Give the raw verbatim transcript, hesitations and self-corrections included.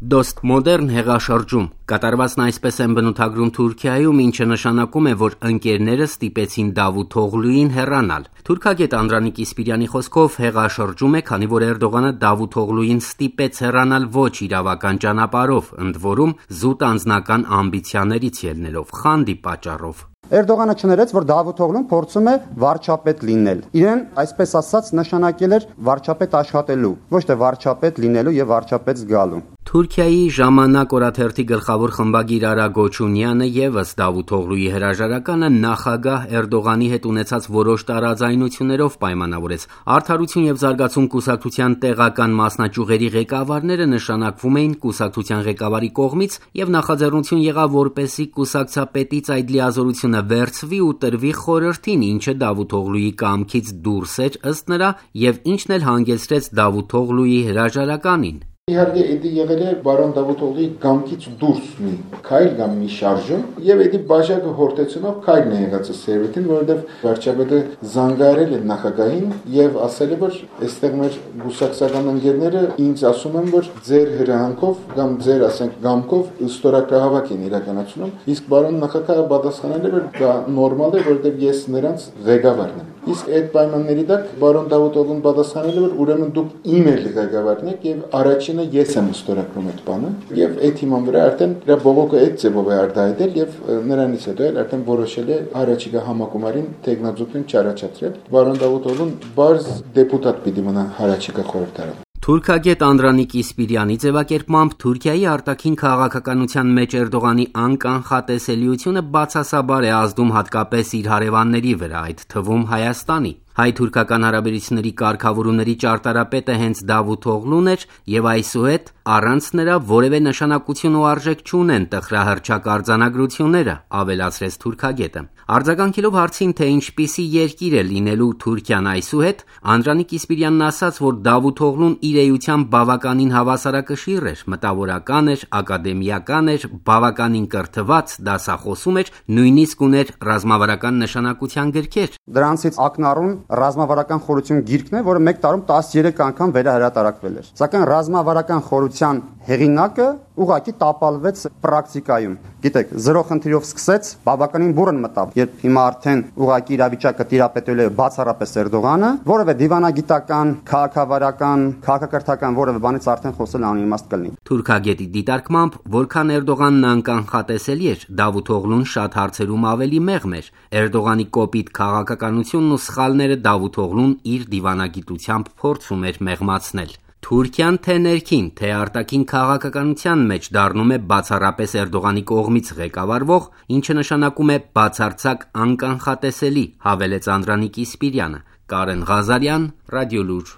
Դոստ մոդեռն հեղաշրջում կատարվածն այսպես են բնութագրում Թուրքիայում, ինչը նշանակում է, որ ընկերները ստիպեցին Դավութ Օղլուին հեռանալ։ Թուրքագետ Անդրանիկ Իսպիրյանի խոսքով հեղաշրջում է, քանի որ Էրդողանը Դավութ Օղլուին ստիպեց հեռանալ ոչ իրավական ճանապարհով, ընդ որում զուտ անձնական ամբիցիաներից ելնելով, խանդի պատճառով։ Էրդողանը չներեց, որ Դավութ Օղլուն փորձում է վարչապետ լինել։ Իրեն, այսպես ասած, նշանակել էր վարչապետ աշխատելու, ոչ թե վարչապետ լինելու եւ վարչապետ զգալու։ Թուրքիայի ժամանակ օրաթերթի գլխավոր խմբագիր Արա Գոչունյանը ևս Դավութ Օղլուի հրաժարականը նախագահ Էրդողանի հետ ունեցած որոշ տարաձայնություններով պայմանավորեց։ Արդարություն եւ զարգացում կուսակցության տեղական մասնաճյուղերի ղեկավարները նշանակվում էին կուսակցության ղեկավարի կողմից եւ նախաձեռնություն եղավ, որպեսզի կուսակցապետից այդ լիազորությունը վերցվի ու տրվի խորհրդին, ինչը Դավութ Օղլուի կամքից դուրս էր ըստ նրա եւ ինչն էլ հանգեցրեց Դավութ Օղլուի հրաժարականին։ Իհարկե, դա եղել է բարոն Դավութ Օղլուի կամքից դուրս մի քայլ կամ մի շարժում, եւ դա բաժակը հորտեցնով քայլն է եղած սերվետին, որովհետեւ վարչապետը զանգահարել է նախագահին եւ ասել է, որ այստեղ մեր գուսակցական ընկերները ինձ ասում են, որ ձեր հրահանգով կամ ձեր, ասենք, գամքով ստորագրահավաք են իրականացնում, իսկ բարոն նախագահը պատասխանել է, որ դա նորմալ է, որովհետեւ ես նրանց ղեկավարն եմ։ Իսկ այդ պայմանների տակ բարոն Դավութ Օղլուն պատասխանել է, որ ուրեմն դուք իմ էլ ղեկավարն եք եւ առաջինը ես եմ ստորագրում այդ բանը եւ այդ հիման վրա արդեն դրա բողոքը այդ ձևով է արտահայտել եւ նրանից հետո էլ արդեն որոշել է առաջիկա համակոմարին տեխնազուգին չառաջադրել։ Բարոն Դավութ Օղլուն բարձ դեպուտատ պիտի մնա առաջիկա խորհրդարանում։ Թուրքագետ Անդրանիկ Իսպիրյանի ձևակերպմամբ Թուրքիայի արտաքին քաղաքականության մեջ Էրդողանի անկանխատեսելիությունը բացասաբար է ազդում հատկապես իր հարևանների վրա, այդ թվում Հայաստանի։ Հայ-թուրքական հարաբերությունների կարգավորումների ճարտարապետը հենց Դավութ Օղլուն էր եւ այսուհետ առանց նրա որևէ նշանակություն ու արժեք չունեն տխրահռչակ արձանագրությունները, ավելացրեց թուրքագետը։ Արձագանքելով հարցին, թե ինչպիսի երկիր է լինելու Թուրքիան այսուհետ, Անդրանիկ Իսպիրյանն ասաց, որ Դավութ Օղլուն իր էությամբ բավականին հավասարակշիռ էր, մտավորական էր, ակադեմիական էր, բավականին կրթված, դասախոսում էր, նույնիսկ ուներ ռազմավարական նշանակության գրքեր։ Դրանցից ակնառուն ռազմավարական խորհրդություն գիրքն է, որը մեկ տարում տասներեք անգամ վերահրատարակվել էր։ Սակայն ռազմավարական խորհրդության հեղինակը ուղղակի տապալվեց պրակտիկայում։ Գիտեք, զրո խնդիրով սկսեց, բավականին բուրըն մտավ, երբ հիմա արդեն ուղղակի իրավիճակը տիրապետել է բացառապես Էրդողանը, որևէ դիվանագիտական, քաղաքավարական, քաղաքակրթական որևէ բանից արդեն խոսել անիմաստ կլինի։ Թուրքագետի դիտարկմամբ, որքան Էրդողանն անկանխատեսելի էր, Դավութ Օղլուն շատ հարցերում ավելի մեղմ էր։ Էրդողանի կոպիտ քաղաքականությունն ու սխալները Դավութ Օղլուն իր դիվանագիտությամբ փորձում էր մեղմացնել։ Թուրքիան թե ներքին, թե արտաքին քաղաքականության մեջ դառնում է բացառապես Էրդողանի կողմից ղեկավարվող, ինչը նշանակում է բացարձակ անկանխատեսելի, հավելեց Անդրանիկ Իսպիրյանը։ Կարեն Ղազարյան, Ռադիոլուր։